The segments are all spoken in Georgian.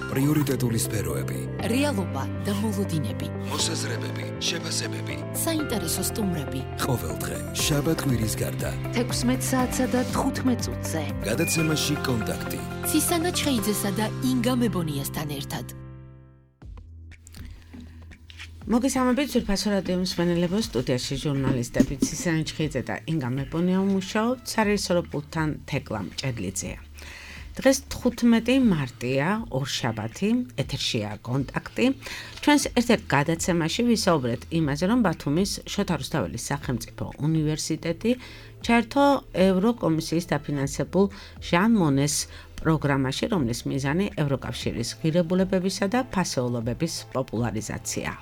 პრიორიტეტული სფეროები, რეალობა და მოლოდინები, მოსაზრებები, შეფასებები, საინტერესო სტუმრები. ყოველდღე შაბათ-კვირის გარდა 16 საათსა და 15 წუთზე. გადაცემაში კონტაქტი. ცისანა ჩხეიძესა და ინგა მებონიასთან ერთად. მოგესალმებით ძვირფასო რადიო მსმენელებო, სტუდიაში ჟურნალისტები ცისანა ჩხეიძე და ინგა მებონია მუშაობთ, სარეჟისორო პულტთან თეკლა მჭედლიძეა. დღეს 15 მარტია, ორშაბათი, ეთერშია კონტაქტი. ჩვენს ერთ-ერთ გადაცემაში ვისაუბრეთ იმაზე, რომ ბათუმის შოთა რუსთაველის სახელმწიფო უნივერსიტეტი ჩაერთო ევროკომისიის დაფინანსებულ ჟან მონეს პროგრამაში, რომლის მიზანი ევროკავშირის ღირებულებებისა და ფასეულობების პოპულარიზაციაა.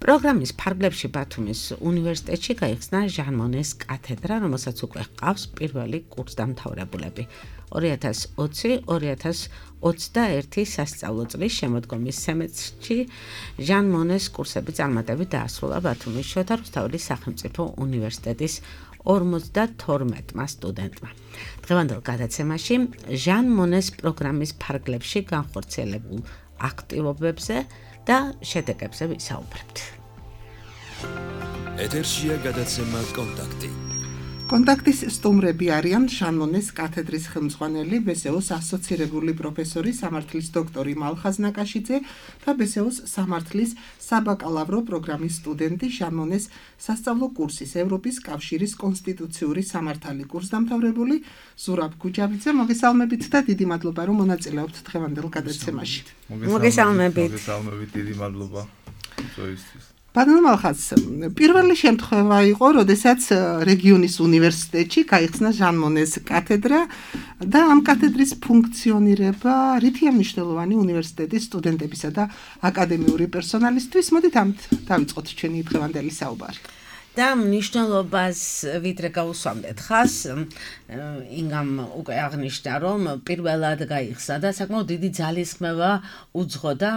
პროგრამის ფარგლებში ბათუმის უნივერსიტეტში გაიხსნა ჟან მონეს კათედრა, რომელსაც უკვე ჰყავს პირველი კურსდამთავრებულები. 2020-2021 სასწავლო წლის შემოდგომის სემესტრში ჟან მონეს კურსები წარმატებით დაასრულა ბათუმის შოთა რუსთაველის სახელმწიფო უნივერსიტეტის 52 სტუდენტმა. დღევანდელ გადაცემაში ჟან მონეს პროგრამის ფარგლებში განხორციელებულ აქტივობებზე და შედეგებზე ვისაუბრებთ. ეთერშია გადაცემა კონტაქტი. კონტაქტის სტუმრები არიან ჟან მონეს კათედრის ხელმძღვანელი, ბესეოს ასოცირებული პროფესორი, სამართლის დოქტორი მალხაზ ნაკაშიძე და ბესეოს სამართლის საბაკალავრო პროგრამის სტუდენტი, ჟან მონეს სასწავლო კურსის ევროპის კავშირის კონსტიტუციური სამართალი კურსდამთავრებული ზურაბ გუჯაბიძე. მოგესალმებით და დიდი მადლობა, რომ მონაწილეობთ დღევანდელ გადაცემაში. მოგესალმებით. მოგესალმებით, დიდი მადლობა ზოისთვის. ბატონო მალხაზ, პირველი შემთხვევა იყო, როდესაც რეგიონის უნივერსიტეტში გაიხსნა ჟან მონეს კათედრა და ამ კათედრის ფუნქციონირება რითია მნიშვნელოვანი უნივერსიტეტის სტუდენტებისა და აკადემიური პერსონალისთვის. მოდით ამით დავიწყოთ ჩვენი დღევანდელი საუბარი. და მნიშვნელობას ვიდრე გავუსვამდეთ ხას, ინგამ უკვე აღნიშნა, რომ პირველად გაიხსნა და საკმაოდ დიდი ძალისხმევა უძღოდა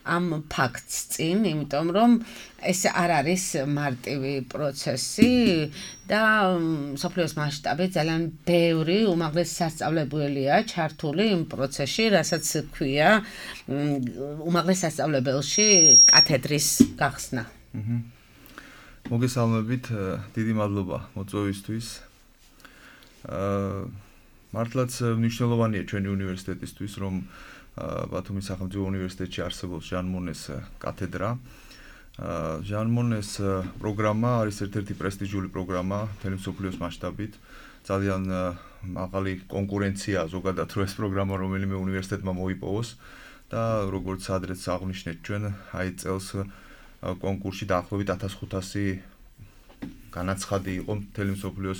ამ ფაქტს წინ, იმიტომ რომ ეს არ არის მარტივი პროცესი და მსოფლიოს მასშტაბით ძალიან ბევრი უმაღლესი სასწავლებელია ჩართული იმ პროცესში, რასაც ქვია უმაღლეს სასწავლებელში კათედრის გახსნა. მოგესალმებით, დიდი მადლობა მოწვევისთვის. მართლაც მნიშვნელოვანია ჩვენი უნივერსიტეტისთვის, რომ ბათუმის სახელმწიფო უნივერსიტეტში არსებობს ჟან მონეს კათედრა. ჟან მონეს პროგრამა არის ერთ-ერთი პრესტიჟული პროგრამა მთელი მსოფლიოს მასშტაბით. ძალიან მაღალი კონკურენცია ზოგადად რო ეს პროგრამა რომელიმე უნივერსიტეტმა მოიპოვოს და როგორც ადრეც აღვნიშნეთ ჩვენ, აი წელს კონკურსში დაახლოებით 1500 განაცხადი იყო მთელი მსოფლიოს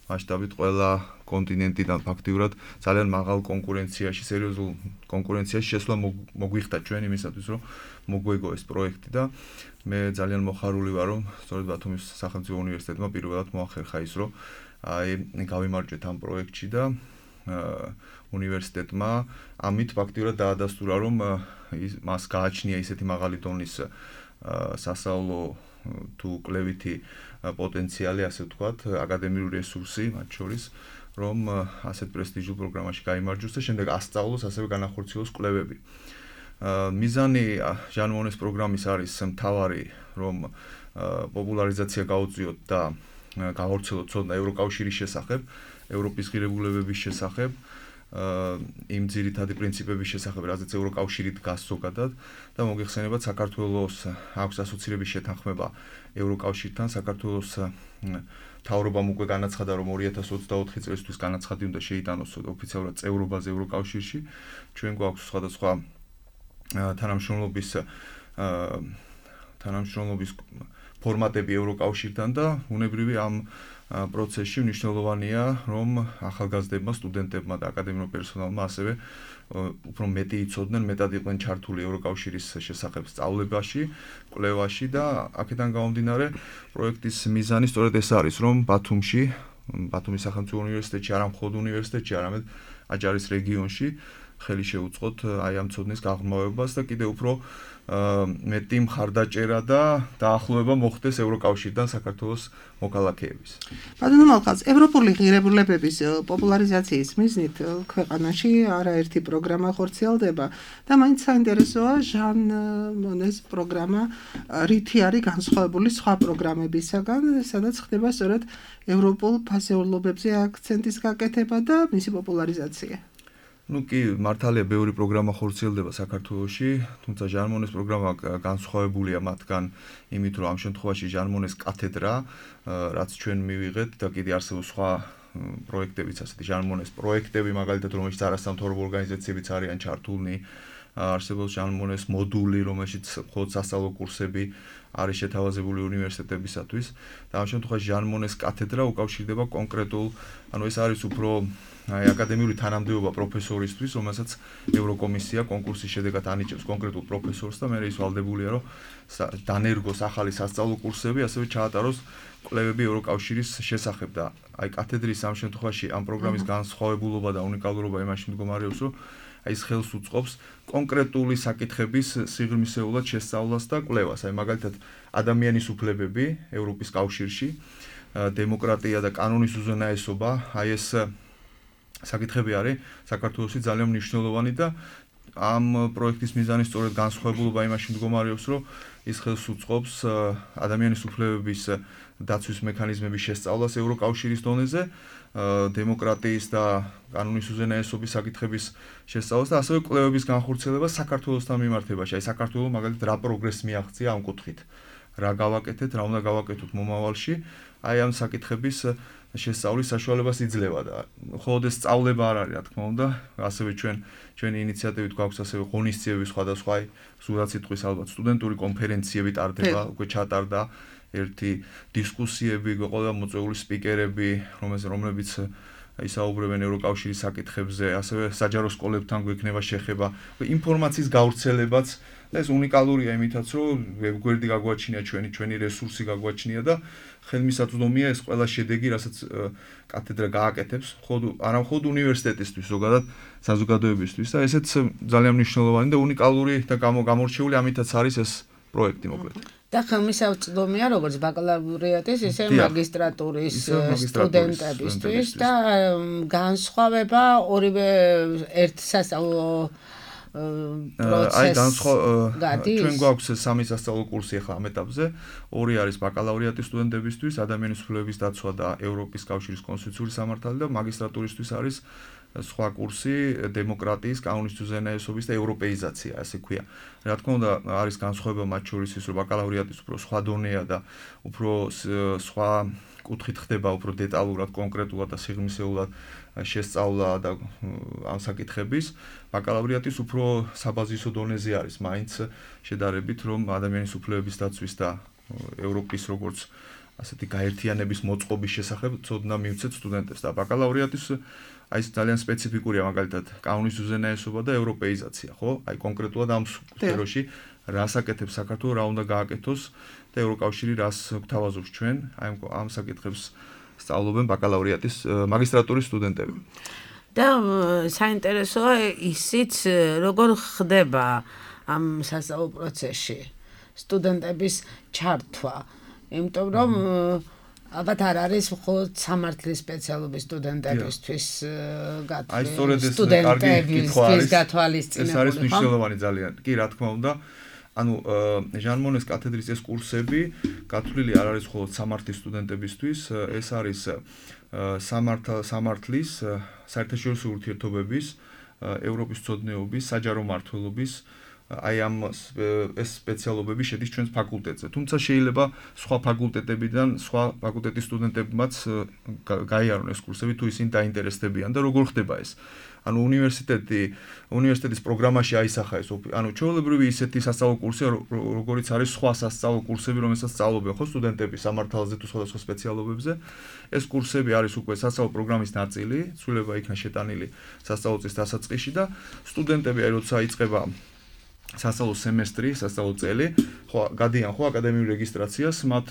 მასშტაბით ყველა კონტინენტიდან ფაქტიურად ძალიან მაღალ კონკურენციაში, სერიოზულ კონკურენციაში შესვლა მოგვიხდა ჩვენ იმისათვის, რომ მოგვეგო ეს პროექტი და მე ძალიან მოხარული ვარ, რომ სწორედ ბათუმის სახელმწიფო უნივერსიტეტმა პირველად მოახერხა ის, რომ აი გავიმარჯვეთ ამ პროექტში და უნივერსიტეტმა ამით ფაქტიურად დაადასტურა, რომ მას გააჩნია ისეთი მაღალი დონის სასწავლო თუ კვლევითი პოტენციალი, ასე ვთქვათ, აკადემიური რესურსი მათ შორის, რომ ასეთ პრესტიჟულ პროგრამაში გაიმარჯვოს და შემდეგ ასწავლოს, ასევე განახორციელოს კვლევები. მიზანი ჟან მონეს პროგრამის არის მთავარი, რომ პოპულარიზაცია გაუწიოთ და გაავრცელოთ ცოდნა ევროკავშირის შესახებ, ევროპის ღირებულებების შესახებ, იმ ძირითადი პრინციპების შესახებ, რაზეც ევროკავშირი დგას ზოგადად და მოგეხსენებათ, საქართველოს აქვს ასოცირების შეთანხმება ევროკავშირთან. საქართველოს მთავრობამ უკვე განაცხადა, რომ 2024 წლისთვის განაცხადი უნდა შეიტანოს ოფიციალურად წევრობაზე ევროკავშირში. ჩვენ გვაქვს სხვადასხვა თანამშრომლობის ფორმატები ევროკავშირთან და უნებრივი ამ პროცესში მნიშვნელოვანია, რომ ახალგაზრდებმა, სტუდენტებმა და აკადემიურ პერსონალმა ასევე უფრო მეტი იცოდნენ, მეტად იყვნენ ჩართული ევროკავშირის შესახებ სწავლებაში, კვლევაში და აქედან გამომდინარე პროექტის მიზანი სწორედ ეს არის, რომ ბათუმის სახელმწიფო უნივერსიტეტში, არა მხოლოდ უნივერსიტეტში, არამედ აჭარის რეგიონში ხელი შეუწყოთ აი ამ ცოდნის გაღრმავებას და კიდევ უფრო მეტი მხარდაჭერა და დაახლოება მოხდეს ევროკავშირთან საქართველოს მოქალაქეების. ბატონო მალხაზ, ევროპული ღირებულებების პოპულარიზაციის მიზნით ქვეყანაში არაერთი პროგრამა ხორციელდება და მაინც საინტერესოა ჟან მონეს პროგრამა რითი არის განსხვავებული სხვა პროგრამებისაგან, სადაც ხდება სწორედ ევროპულ ფასეულობებზე აქცენტის გაკეთება და მისი პოპულარიზაცია. Ну კი, მართალია, ბევრი პროგრამა ხორციელდება საქართველოში, თუმცა ჟან მონეს პროგრამა განსხვავებულია მათგან იმით, რომ ამ შემთხვევაში ჟან მონეს კათედრა, რაც ჩვენ მივიღეთ და კიდე არსებობს სხვა პროექტებიც, ასეთი ჟან მონეს პროექტები, მაგალითად, რომელშიც არასამთავრობო ორგანიზაციებიც არიან ჩართულნი, არსებობს ჟან მონეს მოდული, რომელშიც მხოლოდ სასწავლო კურსები არის შეთავაზებული უნივერსიტეტებისათვის და ამ შემთხვევაში ჟან მონეს კათედრა უკავშირდება კონკრეტულ, ანუ ეს არის უფრო აი აკადემიური თანამდებობა პროფესორისთვის, რომელსაც ევროკომისია კონკურსის შედეგად ანიჭებს კონკრეტულ პროფესორს და მერე ის ვალდებულია, რომ დანერგოს ახალი სასწავლო კურსები, ასევე ჩაატაროს კვლევები ევროკავშირის შესახებ და აი კათედრის ამ შემთხვევაში ამ პროგრამის განსხვავებულობა და უნიკალურობა იმაში მდგომარეობს, რომ აი ეს ხელს უწყობს კონკრეტული საკითხების სიღრმისეულად შესწავლას და კვლევას. აი მაგალითად ადამიანის უფლებები ევროპის კავშირში, დემოკრატია და კანონის უზენაესობა, აი ეს საკითხები არის საქართველოში ძალიან მნიშვნელოვანი და ამ პროექტის მიზანი სწორედ განსხვავებულობა იმაში მდგომარეობს, რომ ის ხელს უწყობს ადამიანის უფლებების დაცვის მექანიზმების შესწავლას ევროკავშირის დონეზე, დემოკრატიის და კანონის უზენაესობის საკითხების შესწავლას და ასევე კვლევების განხორციელებას საქართველოსთან მიმართებაში. აი საქართველოს მაგალითად რა პროგრესს მიაღწია ამ კუთხით, რა გავაკეთეთ, რა უნდა გავაკეთოთ მომავალში, აი ამ საკითხების შესწავლის საშუალებას იძლევა და მხოლოდ ეს სწავლება არ არის, რა თქმა უნდა, ასევე ჩვენი ინიციატივით გვაქვს ასევე ღონისძიებები სხვადასხვა, სულაც სიტყვის ალბათ სტუდენტური კონფერენციები ტარდება, უკვე ჩატარდა ერთი დისკუსიები, ყოლა მოწვეული სპიკერები, რომლებიც ისაუბრებენ ევროკავშირის საკითხებზე, ასევე საჯარო სკოლებთან გვექნება შეხება, ინფორმაციის გავრცელებაც და ეს უნიკალურია იმითაც, რომ გვერდი გაგვაჩნია ჩვენი რესურსი გაგვაჩნია და ხელმისაწვდომია ეს ყველა შედეგი, რასაც კათედრა გააკეთებს, არა მხოლოდ უნივერსიტეტისთვის, ზოგადად საზოგადოებისთვის და ესეც ძალიან მნიშვნელოვანი და უნიკალური და გამორჩეული ამითაც არის ეს პროექტი მოკლედ. და ხელმისაწვდომია როგორც ბაკალავრიატის, ისე მაგისტრატურის სტუდენტებისთვის და განსხვავება ორივე ერთ სასწავლო ჩვენ გვაქვს სამი სასწავლო კურსი ახლა ამ ეტაპზე, ორი არის ბაკალავრიატის სტუდენტებისთვის, ადამიანის უფლებების დაცვა და ევროპის კავშირის კონსტიტუციური სამართალი და მაგისტრატურისთვის არის სხვა კურსი დემოკრატიის, კანონის უზენაესობის და ევროპეიზაცია, ასე ქვია. რა თქმა უნდა, არის განსხვავება მათ შორის ის, რომ ბაკალავრიატის უფრო სხვა დონეა და უფრო სხვა კუთხით ხდება, უფრო დეტალურად, კონკრეტულად და სიღრმისეულად შესწავლა და ამ საკითხების. ბაკალავრიატის უფრო საბაზისო დონეზე არის, მაინც შედარებით, რომ ადამიანის უფლებების დაცვის და ევროპის როგორც ასეთი გაერთიანების მოწყობის შესახებ ცოდნა მივცეთ სტუდენტებს და ბაკალავრიატის აი ეს ძალიან სპეციფიკურია მაგალითად კანონის უზენაესობა და ევროპეიზაცია, ხო? აი კონკრეტულად ამ სფეროში რას აკეთებს საქართველოს, რა უნდა გააკეთოს და ევროკავშირი რას გვთავაზობს ჩვენ, აი ამ საკითხებს სწავლობენ ბაკალავრიატის მაგისტრატურის სტუდენტები. და საინტერესოა ისიც როგორ ხდება ამ სასწავლო პროცესში სტუდენტების ჩართვა, იმიტომ რომ ალბათ არ არის მხოლოდ სამართლის სპეციალობის სტუდენტებისთვის გათვლილი სტუდენტებისთვის გათვალისწინებული. ეს არის მნიშვნელოვანი ძალიან. კი, რა თქმა უნდა, ანუ ჟან მონეს კათედრის ეს კურსები გათვლილი არ არის მხოლოდ სამართლის სტუდენტებისთვის, ეს არის სამართლის, საერთაშორისო ურთიერთობების, ევროპის მცოდნეობის, საჯარო მმართველობის აი ამ ეს სპეციალობები შედის ჩვენს ფაკულტეტზე. თუმცა შეიძლება სხვა ფაკულტეტებიდან, სხვა ფაკულტეტის სტუდენტებმაც გაიარონ ეს კურსები, თუ ისინი დაინტერესდებიან და როგორ ხდება ეს. ანუ უნივერსიტეტის პროგრამაში აისახა ეს, ანუ ჩვეულებრივი ისეთი სასწავლო კურსია, როგორიც არის სხვა სასწავლო კურსები, რომელსაც სწავლობენ ხო სტუდენტები სამართალზე თუ სხვადასხვა სპეციალობებზე. ეს კურსები არის უკვე სასწავლო პროგრამის ნაწილი, ცვლილება იქნა შეტანილი სასწავლო წლის დასაწყისში და სტუდენტები აი როცა იწყება სასწავლო სემესტრი, სასწავლო წელი, ხო გადიან ხო აკადემიურ რეგისტრაციას, მათ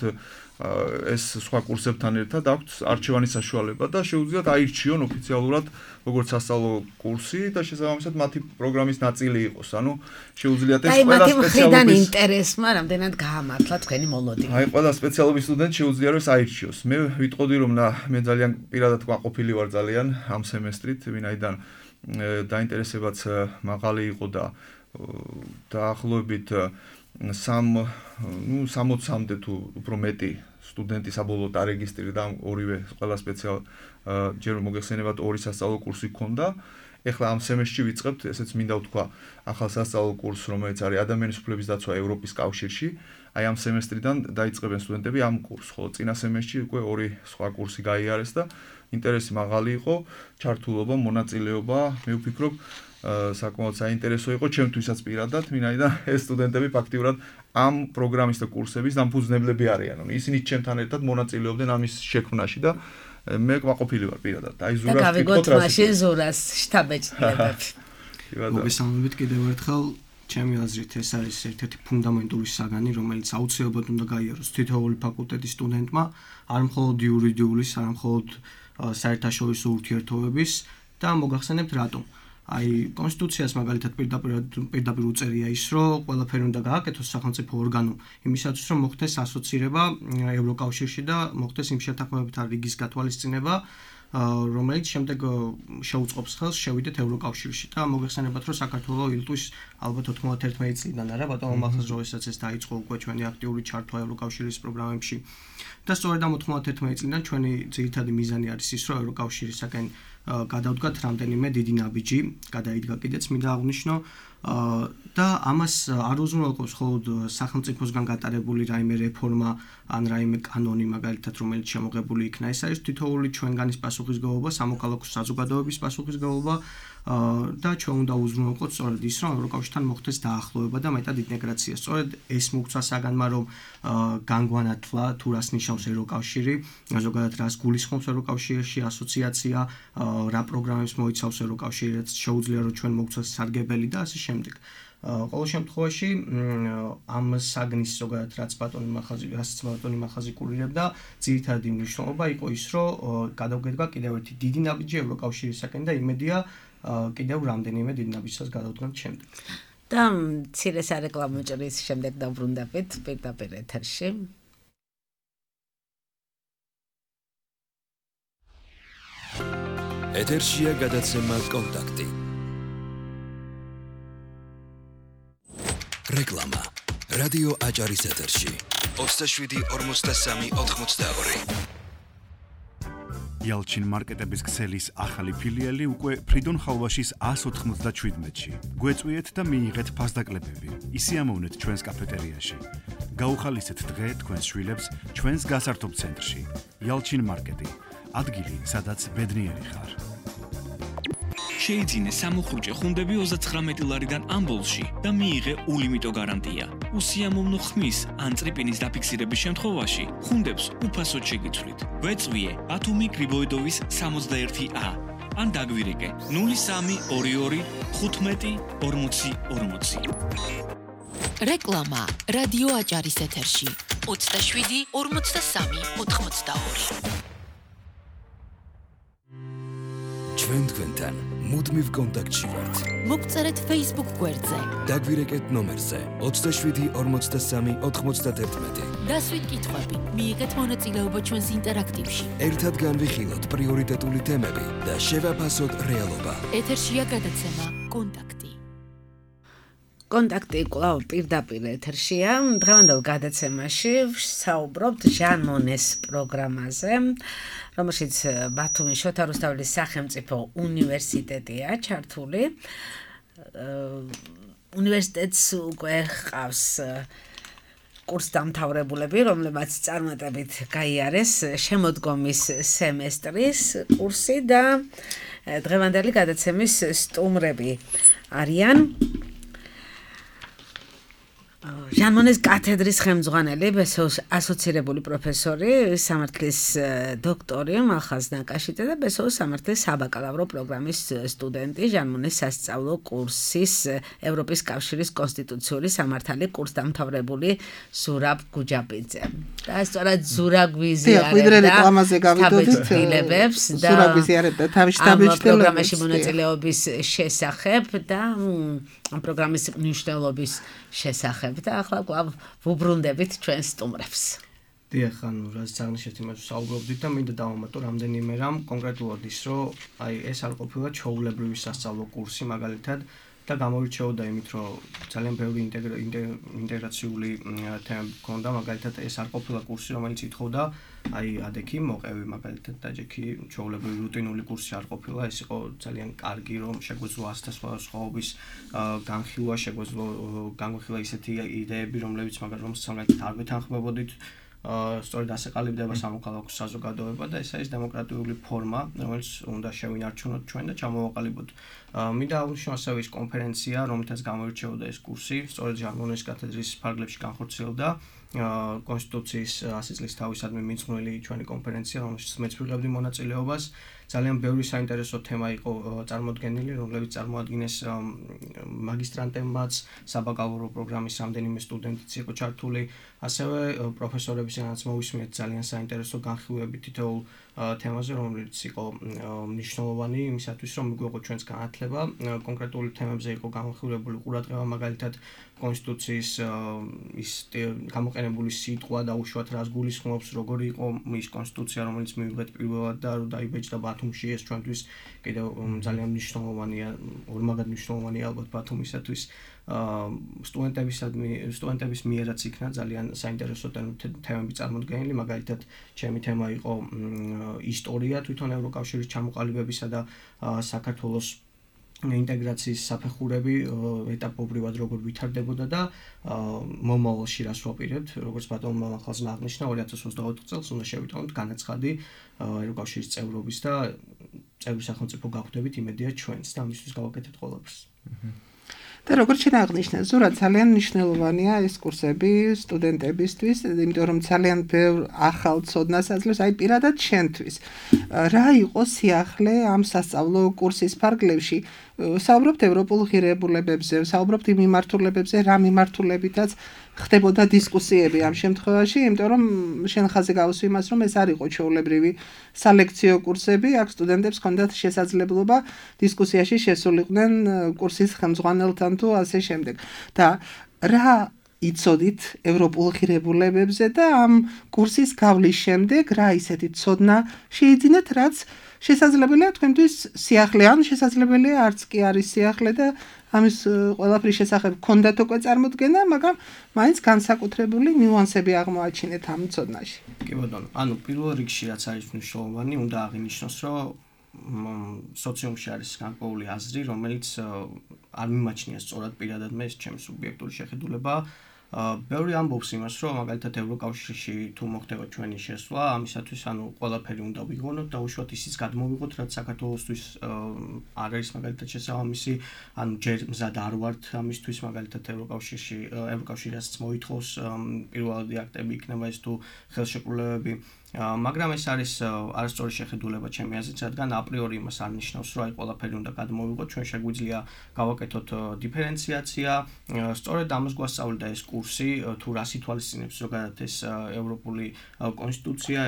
ეს სხვა კურსებთან ერთად აქვთ არჩევანის საშუალება და შეუძლიათ აირჩიონ ოფიციალურად როგორც სასწავლო კურსი და შესაბამისად მათი პროგრამის ნაწილი იყოს. ანუ შეუძლიათ ეს ყველა სპეციალობის ინტერესმა რამდენად გაამართლა თქვენი მოლოდინი. აი ყველა სპეციალობის სტუდენტი შეუძლია რომ აირჩიოს. მე ვიტყოდი რომ მე ძალიან პირადად ყვაყოფილი ვარ ძალიან ამ სემესტრით, ვინაიდან დაინტერესებაც მაღალი იყო და დაახლოებით 60-მდე თუ უფრო მეტი სტუდენტი საბოლოოდ არეგისტრირდა ორივე ყველა ჯერ მოგეხსენებათ ორი სასწავლო კურსი ჰქონდა. ეხლა ამ სემესტრში ვიწყებთ, ესეც მინდა ვთქვა, ახალ სასწავლო კურსს, რომელიც არის ადამიანის უფლების დაცვა ევროპის კავშირში. აი ამ სემესტრიდან დაიწყებენ სტუდენტები ამ კურსს, ხოლო წინა სემესტრში უკვე ორი სხვა კურსი გაიარეს და ინტერესი მაღალი იყო, ჩართულობა, მონაწილეობა, მე ვფიქრობ საკმაოდ საინტერესო იყო ჩემთვისაც პირადად, ვინაიდან ეს სტუდენტები ფაქტიურად ამ პროგრამის და კურსების დამფუძნებლები არიან. ისინი ჩემთან ერთად მონაწილეობდნენ ამის შექმნაში და მე ყვაყოფილი ვარ პირადად. აი ზურას გავიგოთ მაშინ ზურას შტაბეჭდილებები. მოგესალმებით კიდევ ერთხელ. ჩემი აზრით ეს არის ერთ-ერთი ფუნდამენტური საგანი, რომელიც აუცილებლად უნდა გაიაროს თითოეული ფაკულტეტის სტუდენტმა, არ მხოლოდ იურიდიულის, არ მხოლოდ საერთაშორისო ურთიერთობების და მოგახსენებთ რატომ. აი კონსტიტუციას მაგალითად პირდაპირ უწერია ის, რომ ყველაფერი უნდა გააკეთოს სახელმწიფო ორგანომ იმისათვის, რომ მოხდეს ასოცირება ევროკავშირში და მოხდეს იმ შეთანხმებათა რიგის გათვალისწინება, რომელიც შემდეგ შეუწყობს ხელს შევიდეთ ევროკავშირში და მოგეხსენებათ, რომ საქართველოს ილტვის ალბათ 91 წლიდან არა, ბატონო მახას როდესაც ეს დაიწყო უკვე ჩვენი აქტიური ჩართვა ევროკავშირის პროგრამებში. და სწორედ ამ 91 წლიდან ჩვენი ძირითადი მიზანი არის ის, რომ ევროკავშირისაკენ გადავდგათ რამდენიმე დიდი ნაბიჯი, გადაიდგა კიდეც მინდა აღვნიშნო და ამას არ უზრუნველყოფს მხოლოდ სახელმწიფოსგან გატარებული რაიმე რეფორმა ან რაიმე კანონი მაგალითად რომელიც შემოღებული იქნა. ეს არის თითოეული ჩვენგანის პასუხისმგებლობა, სამოქალაქო საზოგადოების პასუხისმგებლობა და ჩვენ უნდა უზრუნველყოთ სწორედ ის, რომ ევროკავშირთან მოხდეს დაახლოება და მეტად ინტეგრაცია. სწორედ ეს მოგცვა საგანმა, რომ განგვანათლა თუ რას ნიშნავს ევროკავშირი, ზოგადად რას გულისხმობს ევროკავშირში ასოციაცია, რა პროგრამებს მოიცავს ევროკავშირი, რაც შეუძლია რომ ჩვენ მოგცვას სარგებელი და ასე შემდეგ. ყოველ შემთხვევაში ამ საგნის ზოგადად რაც ბატონი მახაზი კურირებდა, ძირითადი მნიშვნელობა იყო ის, რომ გადავგედგა კიდევ ერთი დიდი ნაბიჯი ევროკავშირისაკენ და იმედია კიდევ რამდენიმე დიდ ნაბიჯსაც გადავდგანთ შემდეგ. და მცირე სარეკლამო ჭრის შემდეგ დავბრუნდებით პირდაპირ ეთერში. ეთერშია გადაცემა კონტაქტი. რეკლამა. რადიო აჭარის ეთერში. 27-43-82. იალჩინ მარკეტების ქსელის ახალი ფილიალი უკვე ფრიდონ ხალვაშის 197-ში. გვეწვიეთ და მიიღეთ ფასდაკლებები. ისიამოვნეთ ჩვენს კაფეტერიაში. გაუხალისეთ დღე თქვენს შვილებს ჩვენს გასართობ ცენტრში. იალჩინ მარკეტი. ადგილი, სადაც ბედნიერი ხარ. შეიძინე სამოხუჭე ხუნდები 39 ლარიდან ამბოლში და მიიღე ულიმიტო გარანტია. უსიამოვნო ხმის ან წრიპინის დაფიქსირების შემთხვევაში ხუნდებს უფასოდ შეგიცვლით. გვეწვიე ბათუმი გრიბოიდოვის 61A ან დაგვირეკე 0322 15 40 40. რეკლამა რადიო აჭარის ეთერში 27 43 82. ჩვენ თქვენთან მუდმივ კონტაქტში ვართ. მოგწერეთ Facebook გვერდზე. დაგვირეკეთ ნომერზე 27 43 91. დასვით კითხვები, მიიღეთ მონაწილეობა ჩვენს ინტერაქტივში. ერთად განვიხილოთ პრიორიტეტული თემები და შევაფასოთ რეალობა. ეთერშია გადაცემა კონტაქტი. კონტაქტი კვლავ პირდაპირ ეთერშია. დღევანდელ გადაცემაში ვსაუბრობთ ჟან მონეს პროგრამაზე, რომელშიც ბათუმის შოთა რუსთაველის სახელმწიფო უნივერსიტეტია ჩართული. უნივერსიტეტს უკვე ჰყავს კურსდამთავრებულები, რომლებმაც წარმატებით გაიარეს შემოდგომის სემესტრის კურსი და დღევანდელი გადაცემის სტუმრები არიან ჟანმონეს კათედრის ხელმძღვანელი, ბესოს ასოცირებული პროფესორი, სამართლის დოქტორი მალხაზ ნაკაშიძე და ბესოს სამართლის საბაკალავრო პროგრამის სტუდენტი, ჟანმონეს სასწავლო კურსის ევროპის კავშირის კონსტიტუციური სამართალი კურსდამთავრებული ზურაბ გუჯაბიძე. და სწორად ზურაბ გვიზიარებდა თავისუფლებებს და ზურაბ გვიზიარებდა თავისუფლების პროგრამაში მონაწილეობის შესახებ და პროგრამის მნიშვნელობის შესახებ და ახლა კვლავ ვუბრუნდებით ჩვენს სტუმრებს. დიახ, რაც აღნიშნეთ იმას საუბრობდით და მინდა დავამატო რამდენიმე რამ კონკრეტულად ის, რომ ეს არ ყოფილა ჩვეულებრივი სასწავლო კურსი მაგალითად და გამორჩეოდა იმით, რომ ძალიან ბევრი ინტეგრაციული თემები ჰქონდა, მაგალითად ეს არ ყოფილა კურსი, რომელიც ითხოვდა ადექი მოყევი მაგალითად და ჯექი ჩვეულებრივი რუტინული კურსი არ ყოფილა, ეს იყო ძალიან კარგი, რომ შეგვეძლო ასთა სხვაობის განხილვა, შეგვეძლო განვიხილვა ისეთი იდეები, რომლებიც მაგალითად არ ვეთანხმებოდით სწორედ ასე ყალიბდება სამოქალაქო საზოგადოება და ეს არის დემოკრატიული ფორმა, რომელიც უნდა შევინარჩუნოთ ჩვენ და ჩამოვაყალიბოთ. მინდა აღვნიშნო ასევე ის კონფერენცია, რომელთაც გამოირჩეოდა ეს კურსი, სწორედ ჟანმონეს კათედრის ფარგლებში განხორციელდა კონსტიტუციის 100 წლის თავისადმი მიძღვნილი ჩვენი კონფერენცია, რომელშიც მეც ვიღებდი მონაწილეობას. ძალიან ბევრი საინტერესო თემა იყო წარმოდგენილი, რომლებიც წარმოადგინეს მაგისტრანტებმაც, საბაკალავრო პროგრამის რამდენიმე სტუდენტიც იყო ჩართული, ასევე პროფესორებისგანაც მოვისმენთ ძალიან საინტერესო განხილვები თითოეულ თემაზე, რომელიც იყო მნიშვნელოვანი იმისათვის, რომ მიგვეღო ჩვენს განათლება. კონკრეტული თემებზე იყო განხილვებული ყურადღება, მაგალითად კონსტიტუციის ის გამოყენებული სიტყვა და უშუალოდ რას გულისხმობს, როგორი იყო ის კონსტიტუცია, რომელიც მივიღეთ პირველად და რომ დაიბეჭდა ბათუმში, ეს ჩვენთვის კიდევ ძალიან მნიშვნელოვანია, ორმაგად მნიშვნელოვანია ალბათ ბათუმისათვის. სტუდენტების მიერაც იქნა ძალიან საინტერესო თემები წარმოდგენილი, მაგალითად ჩემი თემა იყო ისტორია თვითონ ევროკავშირის ჩამოყალიბებისა და საქართველოს ინტეგრაციის საფეხურები ეტაპობრივად როგორ ვითარდებოდა და მომავალში რას ვაპირებთ, როგორც ბატონმა მალხაზმა აღნიშნა 2024 წელს უნდა შევიტანოთ განაცხადი ევროკავშირის წევრობის და წევრი სახელმწიფო გახვდებით იმედია ჩვენს და ამისთვის გავაკეთებთ ყველაფერს. და როგორც შეაღნიშნა, ზურაბ ძალიან მნიშვნელოვანია ეს კურსები სტუდენტებისთვის, იმიტომ რომ ძალიან ბევრ ახალ ცოდნას აძლევს, აი პირადად შენთვის. რა იყო სიახლე ამ სასწავლო კურსის ფარგლებში? საუბრობთ ევროპულ ღირებულებებზე, საუბრობთ იმ მიმართულებებზე, რა მიმართულებითაც ხდებოდა დისკუსიები ამ შემთხვევაში, იმიტომ რომ შენ ხაზე გავუსვი იმას, რომ ეს არ იყო ჩვეულებრივი სალექციო კურსები, აქ სტუდენტებს ჰქონდათ შესაძლებლობა დისკუსიაში შესულიყვნენ კურსის ხელმძღვანელთან თუ ასე შემდეგ. და რა იცოდით ევროპულ ღირებულებებზე და ამ კურსის გავლის შემდეგ რა ისეთი ცოდნა შეიძინეთ, რაც შესაძლებელია თქვენთვის სიახლე, ან შესაძლებელია არც კი არის სიახლე და ამის ყველაფრის შესახებ გქონდათ უკვე წარმოდგენა, მაგრამ მაინც განსაკუთრებული ნიუანსები აღმოაჩინეთ ამ ცოდნაში. კი ბატონო, ანუ პირველ რიგში რაც არის მნიშვნელოვანი, უნდა აღინიშნოს, რომ სოციუმში არის განკვეული აზრი, რომელიც არ მიმაჩნია სწორად პირადად მე ჩემს სუბიექტური შეხედულება. ბევრი ამბობს იმას, რომ მაგალითად ევროკავშირში თუ მოხდება ჩვენი შესვლა, ამისათვის ანუ ყველაფერი უნდა ვიღონოთ და უშუალოდ ისიც გადმოვიღოთ, რაც საქართველოსთვის არ არის მაგალითად შესაბამისი, ანუ ჯერ მზად არ ვართ ამისთვის, მაგალითად ევროკავშირისაც მოითხოვს პირველადი აქტები იქნება ეს თუ ხელშეკრულებები. მაგრამ ეს არის არასწორი შეხედულება ჩემი აზრით, რადგან აპრიორი იმას არ ნიშნავს, რომ აი ყველაფერი უნდა გადმოვიღოთ, ჩვენ შეგვიძლია გავაკეთოთ დიფერენციაცია, სწორედ ამას გვასწავლიდა ეს კურსი, თუ რას ითვალისწინებს ზოგადად ეს ევროპული კონსტიტუცია,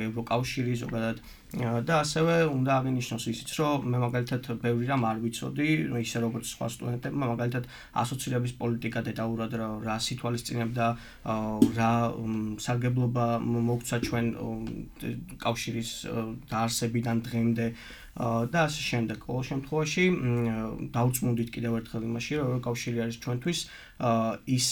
ევროკავშირი ზოგადად და ასევე უნდა აღინიშნოს ისიც, რომ მე მაგალითად ბევრი რამ არ ვიცოდი, ისე როგორც სხვა სტუდენტებმა, მაგალითად ასოცირების პოლიტიკა დეტალურად რას ითვალისწინებდა, რა სარგებლობა მოგვცა ჩვენ კავშირის დაარსებიდან დღემდე და ასე შემდეგ. ყოველ შემთხვევაში დავწმუნდით კიდევ ერთხელ იმაში, რომ ევროკავშირი არის ჩვენთვის ის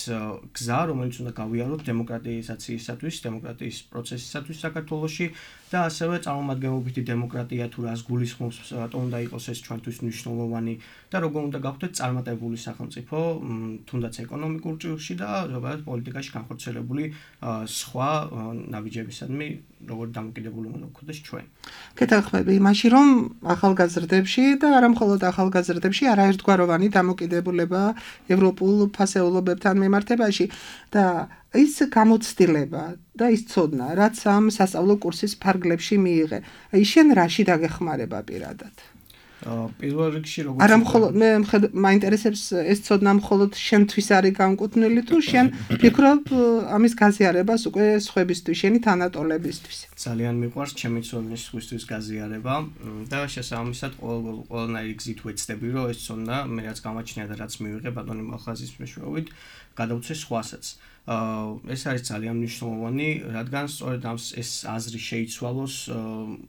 გზა, რომელიც უნდა გავიაროთ დემოკრატიზაციისათვის, დემოკრატიის პროცესისათვის საქართველოში და ასევე წარმომადგენლობითი დემოკრატია თუ რას გულისხმობს, რატომ უნდა იყოს ეს ჩვენთვის მნიშვნელოვანი და როგორ უნდა გავხდეთ წარმატებული სახელმწიფო, თუნდაც ეკონომიკურ ჭრილში და ზოგადად პოლიტიკაში განხორციელებული სხვა ნაბიჯებისადმი როგორ დამოკიდებული უნდა გქონდეს ჩვენ. გეთანხმები იმაში, რომ ახალგაზრდებში და არა მხოლოდ ახალგაზრდებში არაერთგვაროვანი დამოკიდებულება ევროპულ ფასეულობებთან მიმართებაში და ის გამოცდილება და ის ცოდნა, რაც ამ სასწავლო კურსის ფარგლებში მიიღე. აი შენ რაში დაგეხმარება პირადად? პირველ რიგში როგორც არა მხოლოდ მე მაინტერესებს ეს ცოდნა მხოლოდ შენთვის არის განკუთვნილი თუ შენ ფიქრობ ამის გაზიარებას უკვე სხვებისთვის, შენი თანატოლებისთვის. ძალიან მიყვარს ჩემი ცოდნის სხვისთვის გაზიარება და შესაბამისად ყველანაირი გზით ვეცდები, რომ ეს ცოდნა მე რაც გამაჩნია და რაც მივიღე ბატონი მალხაზის მეშვეობით გადავცე სხვასაც. ეს არის ძალიან მნიშვნელოვანი, რადგან სწორედ ეს აზრი შეიცვალოს,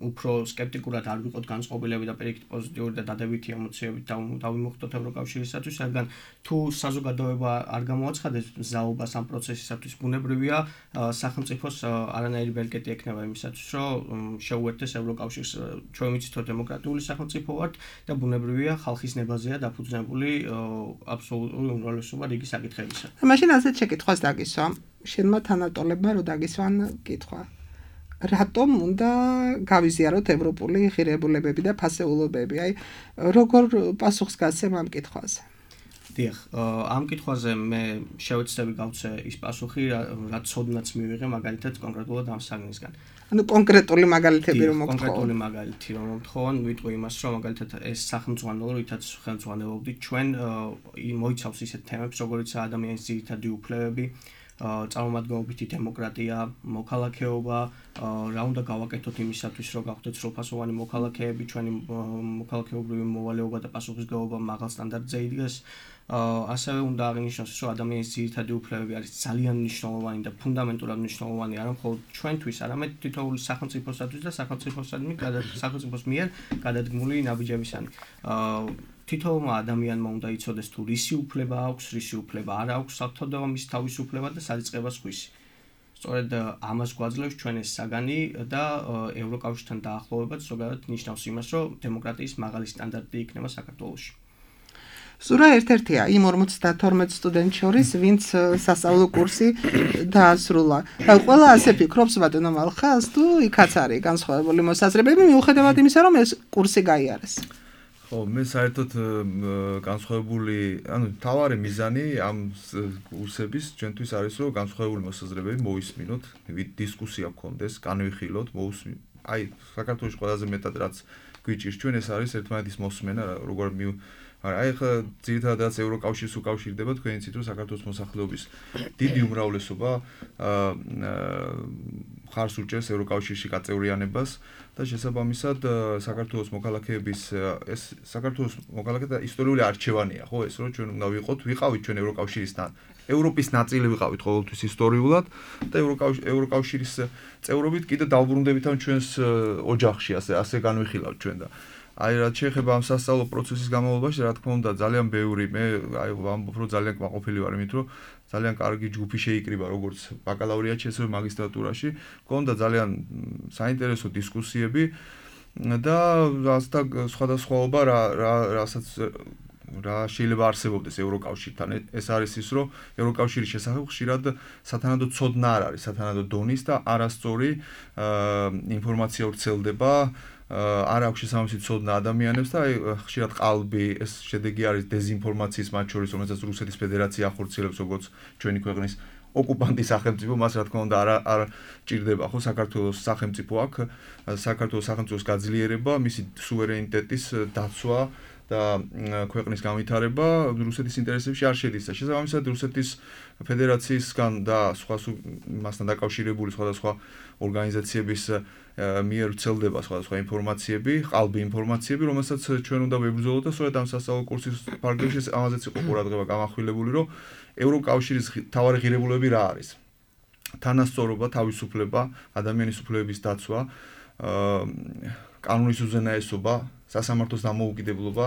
უფრო სკეპტიკურად არ ვიყოთ განწყობილები და პირიქით პოზიტიური და დადებითი ემოციებით დავიმოხდოთ ევროკავშირისათვის, რადგან თუ საზოგადოება არ გამოაცხადებს მზაობას ამ პროცესისათვის, ბუნებრივია სახელმწიფოს არანაირი ბელკეტი ექნება იმისათვის, რომ შეუერთდეს ევროკავშირს. ჩვენ ვიცით, რომ დემოკრატიული სახელმწიფო ვართ და ბუნებრივია ხალხის ნებაზეა დაფუძნებული აბსოლუტური უმრავლესობა რიგი საკითხებისა. მაშინ ასეთ შეკითხვას დაგისვა, შენმა თანატოლებმა რო დაგისვან კითხვა. რატომ უნდა გავიზიაროთ ევროპული ღირებულებები და ფასეულობები? აი, როგორ პასუხს გასცემ ამ კითხვაზე? დიახ, ამ კითხვაზე მე შევეცდები გავცე ის პასუხი, რაც ცოდნაც მივიღე მაგალითად კონკრეტულად ამ საგნისგან. ანუ კონკრეტული მაგალითები რომ მოგთხოვო. კონკრეტული მაგალითი რომ მოგთხოვო, ვიტყვი იმას, რომ მაგალითად ეს სახელმძღვანელო, რითაც ხელმძღვანელობდით ჩვენ მოიცავს ისეთ თემებს, როგორიცაა ადამიანის ძირითადი უფლებები, წარმომადგენლობითი დემოკრატია, მოქალაქეობა, რა უნდა გავაკეთოთ იმისათვის, რომ გავხდეთ სრულფასოვანი მოქალაქეები, ჩვენი მოქალაქეობრივი მოვალეობა და პასუხისმგებლობა მაღალ სტანდარტზე იდგეს. ასევე უნდა აღინიშნოს, რომ ადამიანის ძირითადი უფლებები არის ძალიან მნიშვნელოვანი და ფუნდამენტურად მნიშვნელოვანი არა მხოლოდ ჩვენთვის, არამედ თითოეული სახელმწიფოსათვის და სახელმწიფოს მიერ გადადგმული ნაბიჯებისანი. თითოეულმა ადამიანმა უნდა იცოდეს თუ რისი უფლება აქვს, რისი უფლება არ აქვს, საერთოდ მის თავისუფლება და სარიწყებას ხwisi. სწორედ ამას გვაძლევს ჩვენ ეს საგანი და ევროკავშირთან დაახლოვებაც ზოგადად ნიშნავს იმას, რომ დემოკრატიის მაღალი სტანდარტი იქნება საქართველოში. სურა ერთ-ერთია იმ 52 სტუდენტ შორის, ვინც სასწავლო კურსი დაასრულა. და ყველა ასე ფიქრობს ბატონო მალხაზ, თუ იქაც არის განსხვავებული მოსაზრებები, მიუხედავად იმისა, რომ ეს კურსი გაიარეს. ხო, მე საერთოდ განსხვავებული, ანუ თავარი მიზანი ამ კურსების ჩვენთვის არის, რომ განსხვავებული მოსაზრებები მოვისმინოთ, დისკუსია გქონდეს, განვიხილოთ, აი, საქართველოს ყველაზე მეტად რაც გვიჭირს ჩვენ ეს არის ერთმანეთის მოსმენა, როგორ აი ხა ძირითადად ევროკავშირს უკავშირდება თქვენ იცით რომ საქართველოს მოსახლეობის დიდი უმრავლესობა ხარს უჭერს ევროკავშირში გაწევრიანებას და შესაბამისად საქართველოს მოქალაქეების ეს საქართველოს მოქალაქეთა ისტორიული არჩევანია ხო ეს რომ ჩვენ უნდა ვიყავით ჩვენ ევროკავშირისთან ევროპის ნაწილი ვიყავით ყოველთვის ისტორიულად და ევროკავშირის წევრობით კიდე დავბრუნდებით ამ ჩვენს ოჯახში ასე განვიხილავთ ჩვენ და აი რაც შეეხება ამ სასწავლო პროცესის განმავლობაში, რა თქმა უნდა, ძალიან ბევრი მე აი ვამბობ, რომ ძალიან კმაყოფილი ვარ იმით, რომ ძალიან კარგი ჯგუფი შეიკრიბა, როგორც ბაკალავრიატში, ასევე მაგისტრატურაში. გქონდა ძალიან საინტერესო დისკუსიები და რასთან სხვადასხვაობა რასაც რა შეიძლება არსებობდეს ევროკავშირთან. ეს არის ის, რომ ევროკავშირის შესახებ ხშირად სათანადო ცოდნა არ არის, სათანადო დონის და არასწორი ინფორმაცია ვრცელდება. არ აქვს შესაბამისი ცოდნა ადამიანებს და აი ხშირად ყალბი ეს შედეგი არის დეზინფორმაციის მათ შორის რომელსაც რუსეთის ფედერაცია ახორციელებს როგორც ჩვენი ქვეყნის ოკუპანტის სახელმწიფო მას რა თქმა უნდა არ ჭირდება ხო საქართველოს სახელმწიფო აქ საქართველოს სახელმწიფოს გაძლიერება მისი სუვერენიტეტის დაცვა და ქვეყნის განვითარება რუსეთის ინტერესებში არ შედის და შესაბამისად რუსეთის ფედერაციისგან და სხვა მასთან დაკავშირებული სხვადასხვა ორგანიზაციების მიერ ვრცელდება სხვადასხვა ინფორმაციები, ყალბი ინფორმაციები, რომელსაც ჩვენ უნდა ვებრძოლოთ და სწორედ ამ სასწავლო კურსის ფარგლებში ამაზეც იყო ყურადღება გამახვილებული, რომ ევროკავშირის თავარი ღირებულებები რა არის. თანასწორობა, თავისუფლება, ადამიანის უფლებების დაცვა, კანონის უზენაესობა, სასამართლოს დამოუკიდებლობა,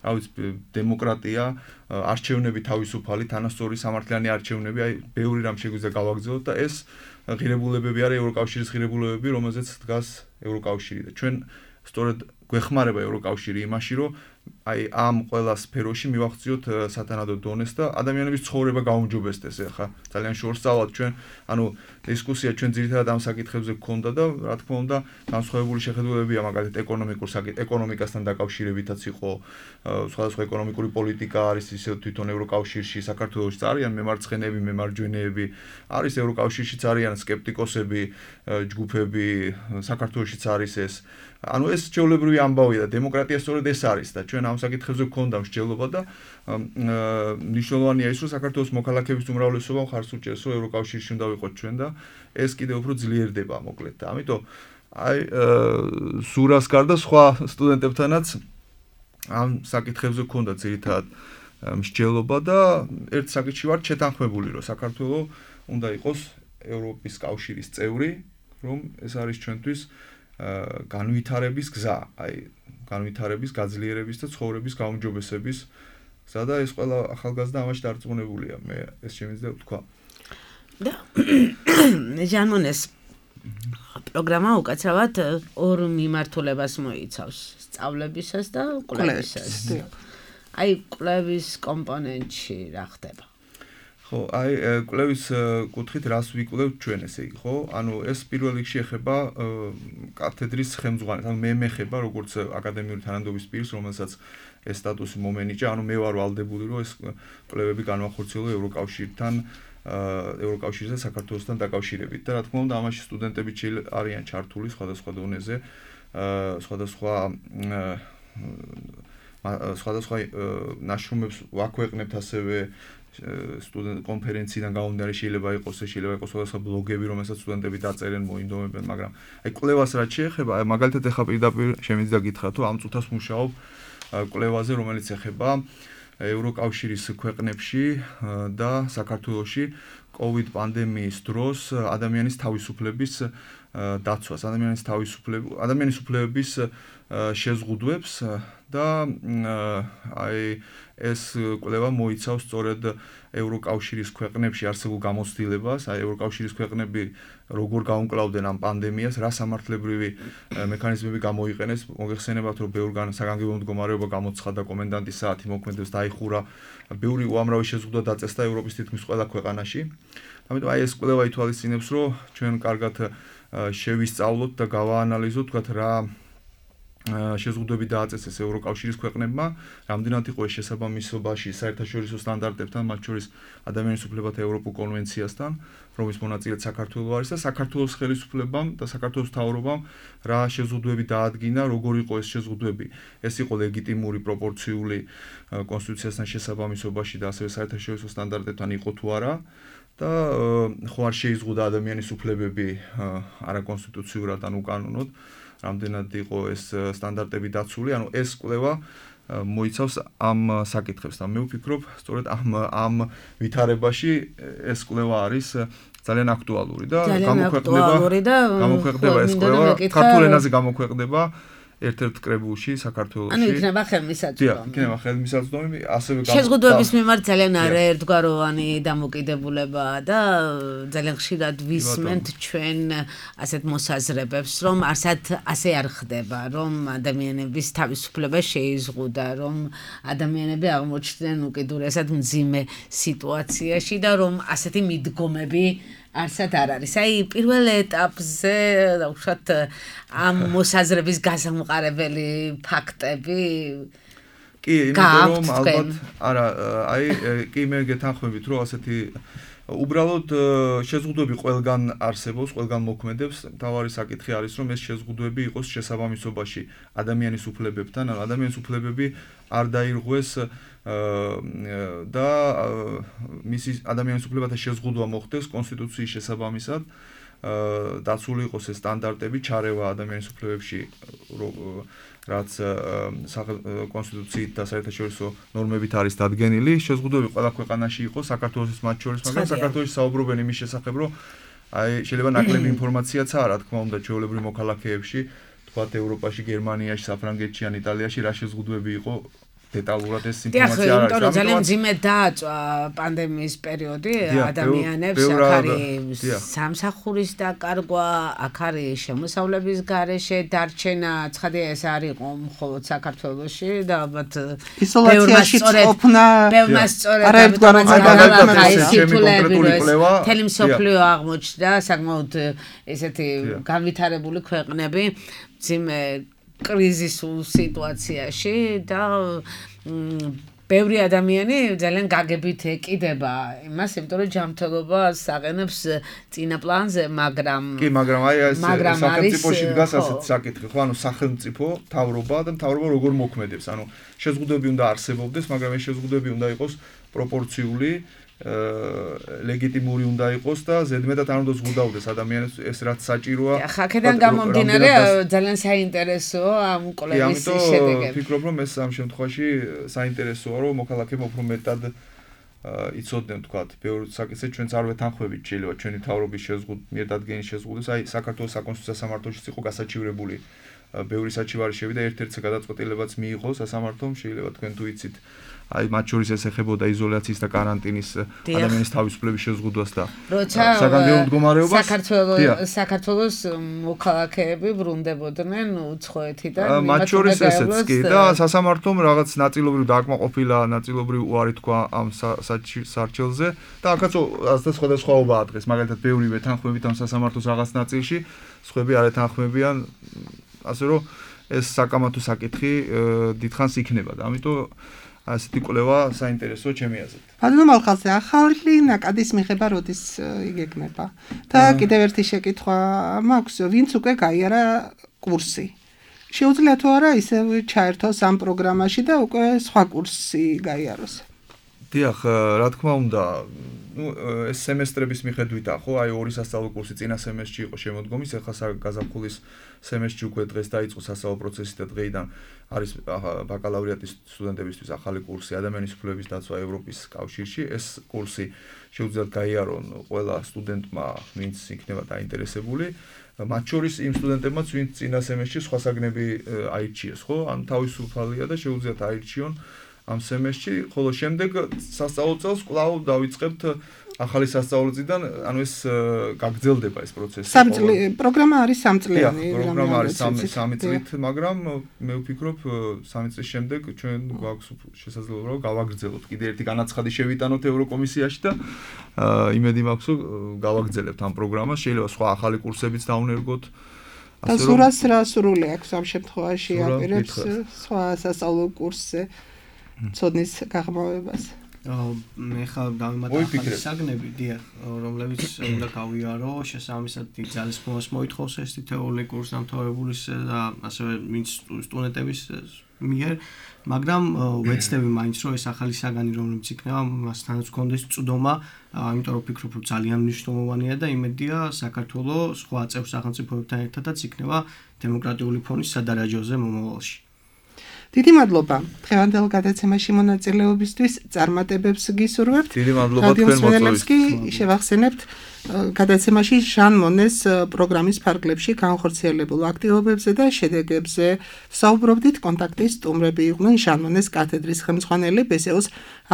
რა ვიცი, დემოკრატია, არჩევნები თავისუფალი, თანასწორი სამართლიანი არჩევნები, აი ბევრი რამ შეგვიძლია გავაგრძელოთ და ეს ღირებულებები არის ევროკავშირის ღირებულებები, რომელზეც დგას ევროკავშირი და ჩვენ სწორედ გვეხმარება ევროკავშირი იმაში, რომ აი ამ ყველა სფეროში მივახციოთ სათანადო დონეს და ადამიანების ცხოვრება გაუმჯობესდეს ახლა ძალიან შორსწავლად ჩვენ ანუ დისკუსია ჩვენ ძირითადად ამ საკითხებზე გქონდა და რა თქმა უნდა განსხვავებული შეხედულებებია მაგალითად ეკონომიკასთან დაკავშირებითაც იყო სხვადასხვა ეკონომიკური პოლიტიკა არის ისე თვითონ ევროკავშირში საქართველოშიც არიან მემარცხენეები მემარჯვენეები არის ევროკავშირშიც არიან სკეპტიკოსები ჯგუფები საქართველოშიც არის ეს ანუ ეს ჩვეულებრივი ამბავია და დემოკრატია სწორედ ეს არის და ჩვენ ამ საკითხებზე გქონდა მსჯელობა და მნიშვნელოვანია ის რომ საქართველოს მოქალაქეების უმრავლესობა ხარს უჭერს რომ ევროკავშირში უნდა ვიყოთ ჩვენ და ეს კიდევ უფრო ძლიერდება მოკლედ და ამიტომ აი სურას გარდა სხვა სტუდენტებთანაც ამ საკითხებზე გქონდა ძირითადად მსჯელობა და ერთ საკითხში ვარ შეთანხმებული რომ საქართველოს უნდა იყოს ევროპის კავშირის წევრი რომ ეს არის ჩვენთვის განვითარების გზა, აი განვითარების, გაძლიერების და ცხოვრების გაუმჯობესების გზა და ეს ყველა ახალგაზრდა ამაში დარწმუნებულია, მე ეს შემიძლია ვთქვა. და ჟანმონეს პროგრამა უკაცრავად ორ მიმართულებას მოიცავს, სწავლებისას და კვლევისას. აი კვლევის კომპონენტში რა ხდება? ხო, აი კვლევის კუთხით რას ვიკვლევთ ჩვენ ესე იგი, ხო? ანუ ეს პირველ რიგში ეხება კათედრის ხელმძღვანელს, ანუ მე მეხება როგორც აკადემიური თანამდებობის პირს, რომელსაც ეს სტატუსი მომენიჭა, ანუ მე ვარ ვალდებული, რომ ეს კვლევები განვახორციელო ევროკავშირთან, ევროკავშირსა საქართველოსთან დაკავშირებით და რა თქმა უნდა, ამაში სტუდენტები არიან ჩართული სხვადასხვა დონეზე, სხვადასხვა ნაშრომებს ვაქვეყნებთ ასევე სტუდენტ კონფერენციიდან გამომდინარე შეიძლება იყოს სხვადასხვა ბლოგები, რომელსაც სტუდენტები დაწერენ, მოინდომებენ, მაგრამ აი კვლევას რაც შეეხება, აი მაგალითად ეხა პირდაპირ შემიძლია გითხრათ, რომ ამ წუთას მუშაობ კვლევაზე, რომელიც ეხება ევროკავშირის ქვეყნებში და საქართველოში COVID პანდემიის დროს ადამიანის თავისუფლების დაცვას, ადამიანის უფლებების შეზღუდვებს და აი ეს კვლევა მოიცავს სწორედ ევროკავშირის ქვეყნებში არსებულ გამოცდილებას, აი ევროკავშირის ქვეყნები როგორ გაუმკლავდნენ ამ პანდემიას, რა სამართლებრივი მექანიზმები გამოიყენეს, მოგეხსენებათ რომ ბევრგან საგანგებო მდგომარეობა გამოცხადა კომენდანტის საათი მოქმედებს დაიხურა, ბევრი უამრავი შეზღუდვა დაწესდა ევროპის თითქმის ყველა ქვეყანაში. ამიტომ აი ეს კვლევა ითვალისწინებს, რომ ჩვენ კარგად შევისწავლოთ და გავაანალიზოთ, თქვათ რა შეზღუდვები დააწესეს ევროკავშირის ქვეყნებმა, რამდენად იყო ეს შესაბამისობაში საერთაშორისო სტანდარტებთან, მათ შორის ადამიანის უფლებათა ევროპულ კონვენციასთან, რომლის მონაწილეც საქართველო არის და საქართველოს ხელისუფლებამ და საქართველოს მთავრობამ რა შეზღუდვები დაადგინა, როგორ იყო ეს შეზღუდვები. ეს იყო ლეგიტიმური, პროპორციული კონსტიტუციასთან შესაბამისობაში და ასევე საერთაშორისო სტანდარტებთან იყო თუ არა. და ხო არ შეიზღუდა ადამიანის უფლებები არაკონსტიტუციურად ან უკანონოდ, რამდენად იყო ეს სტანდარტები დაცული, ანუ ეს კვლევა მოიცავს ამ საკითხებს და მე ვფიქრობ, სწორედ ამ ვითარებაში ეს კვლევა არის ძალიან აქტუალური და გამოქვეყნდება ეს კვლევა ქართულ ენაზე გამოქვეყნდება ერთ-ერთ კრებულში საქართველოში. ანუ იქნება ხელმისაწვდომი. იქნება ხელმისაწვდომი, ასევე შეზღუდვების მიმართ ძალიან არაერთგვაროვანი დამოკიდებულება და ძალიან ხშირად ვისმენთ ჩვენ ასეთ მოსაზრებებს, რომ ასე არ ხდება, რომ ადამიანების თავისუფლება შეიზღუდა, რომ ადამიანები აღმოჩნდნენ უკიდურესად მძიმე სიტუაციაში და რომ ასეთი მიდგომები არსად არ არის. აი პირველ ეტაპზე უშუალოდ ამ მოსაზრების გასამყარებელი ფაქტები კი, იმიტომ რომ ალბათ არა, აი კი მე გეთანხმებით, რომ ასეთი უბრალოდ შეზღუდვები ყველგან არსებობს, ყველგან მოქმედებს. თავარი საკითხი არის, რომ ეს შეზღუდვები იყოს შესაბამისობაში ადამიანის უფლებებთან, ადამიანის უფლებები არ დაირღვეს და მისი ადამიანის უფლებათა შეზღუდვა მოხდეს კონსტიტუციის შესაბამისად, დაცული იყოს ეს სტანდარტები, ჩარევა ადამიანის უფლებებში, რაც კონსტიტუციით და საერთაშორისო ნორმებით არის დადგენილი. შეზღუდვები ყველა ქვეყანაში იყო, საქართველოს მათ შორის, მაგრამ საქართველოში საუბრობენ იმის შესახებ, რომ აი შეიძლება ნაკლები ინფორმაციაც არა, რა თქმა უნდა, ჩვეულებრივ მოქალაქეებში, თქვათ ევროპაში, გერმანიაში, საფრანგეთში ან იტალიაში რა შეზღუდვები იყო დეტალურად ეს ინფორმაცია არ არის. ამიტომ ძალიან მძიმე დააწვა პანდემიის პერიოდი ადამიანებს, აქ არის სამსახურის დაკარგვა, აქ არის შემოსავლების გარეშე დარჩენა, ცხადია ეს არ იყო მხოლოდ საქართველოში და ალბათ იზოლაციაში ყოფნა თელი მსოფლიო აღმოჩნდა საკმაოდ ესეთი განვითარებული ქვეყნები მძიმე კრიზისულ სიტუაციაში და ბევრი ადამიანი ძალიან გაგებით ეკიდება იმას, იმიტომ რომ ჯანმრთელობას აყენებს წინა პლანზე, მაგრამ აი ეს სახელმწიფოში დგას ასეთ საკითხი, ხო, ანუ სახელმწიფო, მთავრობა და მთავრობა როგორ მოქმედებს, ანუ შეზღუდვები უნდა არსებობდეს, მაგრამ ეს შეზღუდვები უნდა იყოს პროპორციული, ლეგიტიმური უნდა იყოს და ზედმეტად არ უნდა ზღუდავდეს ადამიანებს ეს რაც საჭიროა. აქედან გამომდინარე ძალიან საინტერესოა ამ კოლეგის შედეგები. ვფიქრობ რომ ეს ამ შემთხვევაში საინტერესოა რომ მოქალაქეებმა უფრო მეტად იცოდნენ თქვათ ბევრ საკითხზე ჩვენც არ ვეთანხმებით შეიძლება ჩვენი მთავრობის მიერთადგენის შეზღუდვას აი საქართველოს საკონსტიტუციო სასამართლოშიც იყო გასაჩივრებული ბევრი საჩივარი შევიდა ერთ-ერთი გადაწყვეტილებაც მიიღო სასამართლომ შეიძლება თქვენ თუ იცით აი მათ შორის ეს ეხებოდა იზოლაციის და კარანტინის ადამიანის თავისუფლების შეზღუდვას და საგანგებო მდგომარეობას საქართველოს მოქალაქეები ბრუნდებოდნენ უცხოეთიდან მათ შორის ესეც კი და სასამართლომ რაღაც ნაწილობრივ დააკმაყოფილა ნაწილობრივ უარი თქვა ამ სარჩელზე და აქაც სხვადასხვაობაა დღეს მაგალითად ბევრი ვეთანხმებით ამ სასამართლოს რაღაც ნაწილში სხვები არ ეთანხმებიან ასე რომ ეს საკამათო საკითხი დიდხანს იქნება და ამიტომ ასეთი კვლევა საინტერესოა ჩემი აზრით. ბატონო მალხაზე, ახალი ნაკადის მიღება როდის იგეგმება? და კიდევ ერთი შეკითხვა მაქვს, ვინც უკვე გაიარა კურსი. შეუძლია თუ არა ისე ჩაერთოს ამ პროგრამაში და უკვე სხვა კურსი გაიაროს? დიახ, რა თქმა უნდა, ეს სემესტრების მიხედვითაა, ხო, აი ორი სასწავლო კურსი წინა სემესტრში იყო შემოდგომის, ახლა გაზაფხულის სემესტრში უკვე დღეს დაიწყო სასწავლო პროცესი და დღეიდან არის ბაკალავრიატის სტუდენტებისთვის ახალი კურსი ადამიანის უფლებების დაცვა ევროპის კავშირში. ეს კურსი შეუძლიათ გაიარონ ყველა სტუდენტმა, ვინც იქნება დაინტერესებული. მათ შორის იმ სტუდენტებმაც, ვინც წინა სემესტრში სხვა საგნები აირჩიეს, ხო? ან თავისუფალია და შეუძლიათ აირჩიონ ამ სემესტრში, ხოლო შემდეგ სასწავლო წელს კვლავ დავიწყებთ ახალი სასწავლო წლიდან, ანუ ეს გაგრძელდება ეს პროცესი. პროგრამა არის 3 წლიანი. პროგრამა არის 3 წლით, მაგრამ მე ვფიქრობ 3 წლის შემდეგ ჩვენ გვაქვს შესაძლებლობა რომ გავაგრძელოთ. კიდე ერთი განაცხადი შევიტანოთ ევროკომისიაში და იმედი მაქვს რომ გავაგრძელებთ ამ პროგრამას. შეიძლება სხვა ახალი კურსებიც დავნერგოთ. და სურას რა სურვილი აქვს ამ შემთხვევაში აპირებს სხვა სასწავლო კურსზე ცოდნის გაღრმავებას. მე ხა დავიმატე საგნები, დიახ, რომლებიც უნდა გავიარო, შესაბამისად ძალისხმევას მოითხოვს ეს თეორიული კურსი დამთავრებულის და ასევე ვინც სტუდენტების მიერ, მაგრამ ვეცდები მაინც რომ ეს ახალი საგანი რომლებიც იქნება, მასთანაც გქონდეს წვდომა, იმიტომ რომ ვფიქრობ რომ ძალიან მნიშვნელოვანია და იმედია საქართველოს სხვა წევრ სახელმწიფოებთან ერთადაც იქნება დემოკრატიული ფონის სადარაჯოზე მომავალში. დიდი მადლობა დღევანდელ გადაცემაში მონაწილეობისთვის, წარმატებებს გისურვებთ. დიდი მადლობა თქვენ მოწვევისთვის. შევახსენებთ გადაცემაში ჟან მონეს პროგრამის ფარგლებში განხორციელებულ აქტივობებზე და შედეგებზე საუბრობდით. კონტაქტის სტუმრები იყვნენ ჟან მონეს კათედრის ხელმძღვანელი ბესეუს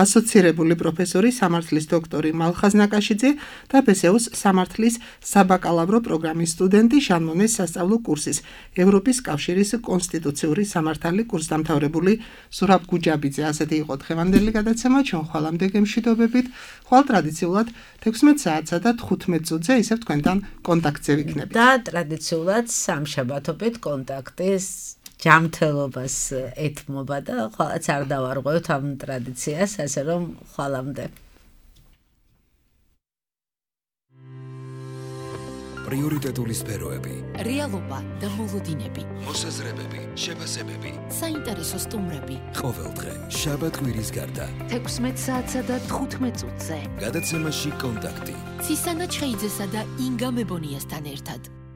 ასოცირებული პროფესორი სამართლის დოქტორი მალხაზ ნაკაშიძე და ბესეუს სამართლის საბაკალავრო პროგრამის სტუდენტი ჟან მონეს სასწავლო კურსის ევროპის კავშირის კონსტიტუციური სამართალი კურსდამთავრებული ზურაბ გუჯაბიძე. ასეთი იყო დღევანდელი გადაცემა. ჩვენ ხვალამდე გემშვიდობებით. ხვალ ტრადიციულად 16 საათსა და 15 წუთზე ისევ თქვენთან კონტაქტზე ვიქნებით. და ტრადიციულად სამშაბათობით კონტაქტის ჯანმრთელობას ეთმობა და ხვალაც არ დავარღვევთ ამ ტრადიციას, ასე რომ ხვალამდე. პრიორიტეტული სფეროები, რეალობა და მოლოდინები, მოსაზრებები, შეფასებები, საინტერესო სტუმრები. ყოველდღე შაბათ-კვირის გარდა 16 საათსა და 15 წუთზე. გადაცემაში კონტაქტი. ცისანა ჩხეიძესა და ინგა მებონიასთან ერთად.